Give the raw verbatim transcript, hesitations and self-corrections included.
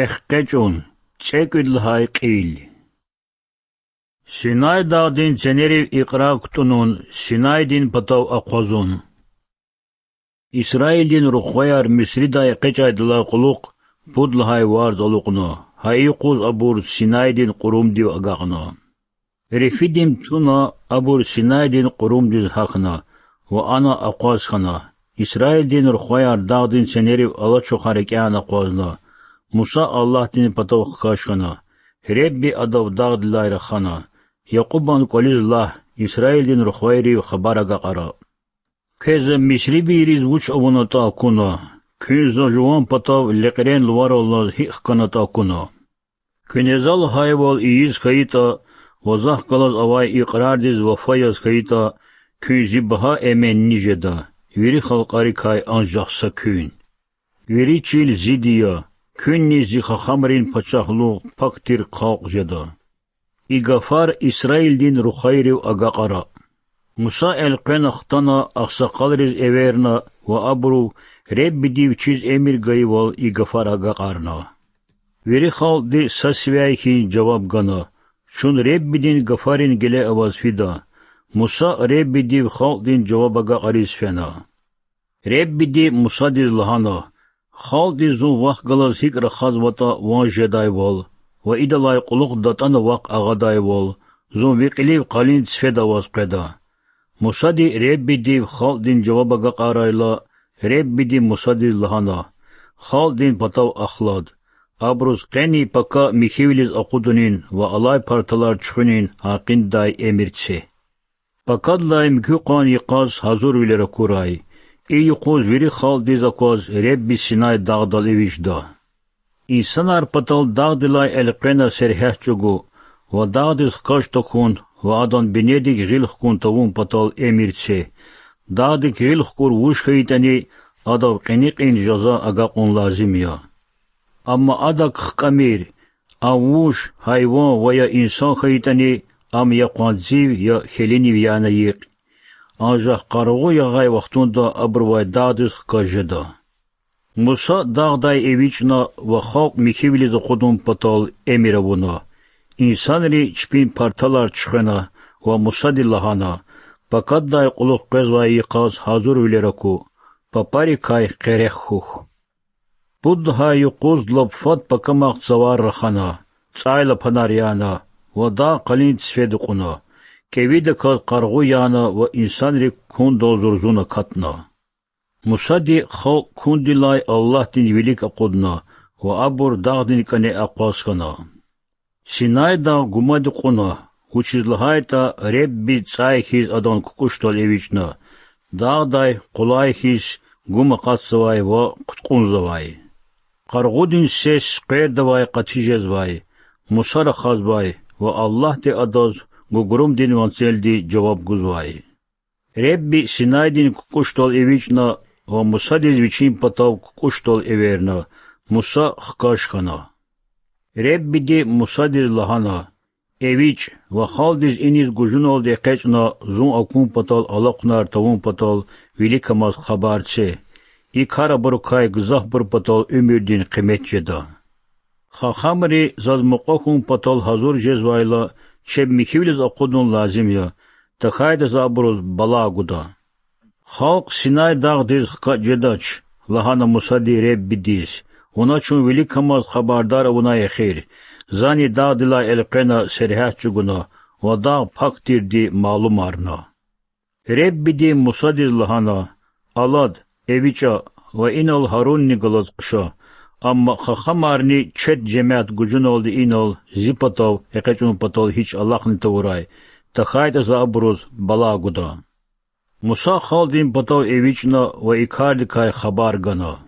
Экъечӏун. ЦӀекӀуьд лагьай кьил. Синай дагъдин ценерив икьрар кутӀунун, Синайдин патав акъвазун. Исраилдин рухваяр Мисридай экъечӀайдалай кьулухъ пуд лагьай варз алукьна, гьа и юкъуз абур Синайдин кьурумдив агакьна. Рефидим туна, абур Синайдин кьурумдиз гьахьна ва ана акъваз хьана. Исраилдин рухваяр дагъдин ценерив алачухар рикӀяй акъвазна. Муса Аллагьдин патав хкаж хьана. Ребби адав дагъдилай рахана: Якьубан кӀвализ лагь, Исраилдин рухвайрив хабар агакьара: Квез за мисрибийриз вуч авунатӀа акуна, куьн за жуван патав лекьрен лувараллаз гьикӀ хканатӀа акуна. Куьне за лагьайвал ийиз хьайитӀа ва захъ галаз авай икьрардиз вафа яз хьайитӀа, куьн зи багьа эменни жеда, вири халкьарикай анжах са куьн. Вири чил зиди я, куьнни зи хахамрин пачагьлугъ пак тир халкь жеда. И гафар Исраилдин рухвайрив агакьара. Муса элкъвена хтана, агъсакъалриз эверна ва абуру Реббиди вичиз эмир гайивал и гафар агакьарна. Вири халкьди са сивяй хьиз жаваб гана: Чун Реббидин гафарин геле аваз фида. Муса Реббидив халкьдин жаваб агакьариз фена. Реббиди Мусадиз лагьана: Халкьдиз зун вахъ галаз гьикӀ рахазватӀа ван жедайвал ва идалай кьулухъ датӀана вахъ агъадайвал, зун ви кьилив къалин цифеда аваз къведа. Мусади Реббидив халкьдин жаваб агакьарайла, Реббиди Мусадиз лагьана: Халкьдин патав ахлад. Абуруз къени пака михьивилиз акъудунин ва алай парталар чуьхуьнин гьакъиндай эмир це. Пакадилай муькуь къван йикъаз гьазурвилер акурай. И юкъуз вири халкьдиз акваз Ребби Синай дагъдал эвичӀда. Инсанар патал дагъдилай элкъвена сергьят чӀугу ва дагъдиз хкаж тахьун ва адан бинедик гъил хкун тавун патал эмир це. Дагъдик гъил хкур вуж хьайитӀани, адав кьиникьин жаза агакьун лазим я. Амма адак хкӀамир: ам вуж, гьайван ва я инсан хьайитӀани, ам я къванцив, я хьелинив яна йикь. Анжах къаргъу ягъай вахтунда абурувай дагъдиз хкаж жеда. Муса дагъдай эвичӀна ва халкь михьивилиз акъудун патал эмир авуна. Инсанри чпин парталар чуьхвена ва Мусади лагьана: Пакаддай кьулухъ къвезвай йикъаз гьазурвилер аку, папарикай къерех хьухь. Пуд лагьай юкъуз лап фад пакамахъ цавар рахана, цӀайлапанар яна ва дагъ къалин цифеда кьуна. КӀевидаказ къаргъу яна ва инсанрик кундал зурзун акатна. Мусади халкь кундилай Аллагьдин вилик акъудна ва абур дагъдин кӀане акъваз хьана. Синай дагъ гумади кьуна, вучиз лагьайтӀа Ребби цӀай хьиз адан кукӀушдал эвичӀна, дагъдай къулай хьиз гум акъатзавай ва хъуткьунзавай. Къаргъудин сес къвердавай къати жезвай, Муса рахазвай ва Аллагьди адаз гугрумдин ванцелди жаваб гузвай. Ребби Синайдин кукӀушдал эвичӀна ва Мусадиз вичин патав кукӀушдал эверна. Муса хкаж хьана. Реббиди Мусадиз лагьана: ЭвичӀ ва халкьдиз иниз гужуналди экъечӀна зун акун патал алахъунар тавун патал виликамаз хабар це. И кар абурукай гзафбур патал уьмуьрдин къимет жеда. Хахамри заз мукьва хьун патал гьазур жезвайла, чеб михьивилиз акъудун лазим я, тахьайтӀа за абуруз бала гуда. Халкь Синай дагъдиз хкатӀ жедач,— лагьана Мусади Реббидиз,— вуна чун виликамаз хабардар авунай эхир. Зани дагъдилай элкъвена сергьят чӀугуна ва дагъ пак тирди малумарна. Реббиди Мусадиз лагьана: Алад, эвичӀа ва инал Гьарунни галаз хъша. Амма хахамарни чет жемят гужуналди инал зи патав экъечӀун патал гьич алахъни тавурай, тахьайтӀа за абуруз бала гуда. Муса халкьдин патав эвичӀна ва и кардикай хабар гана.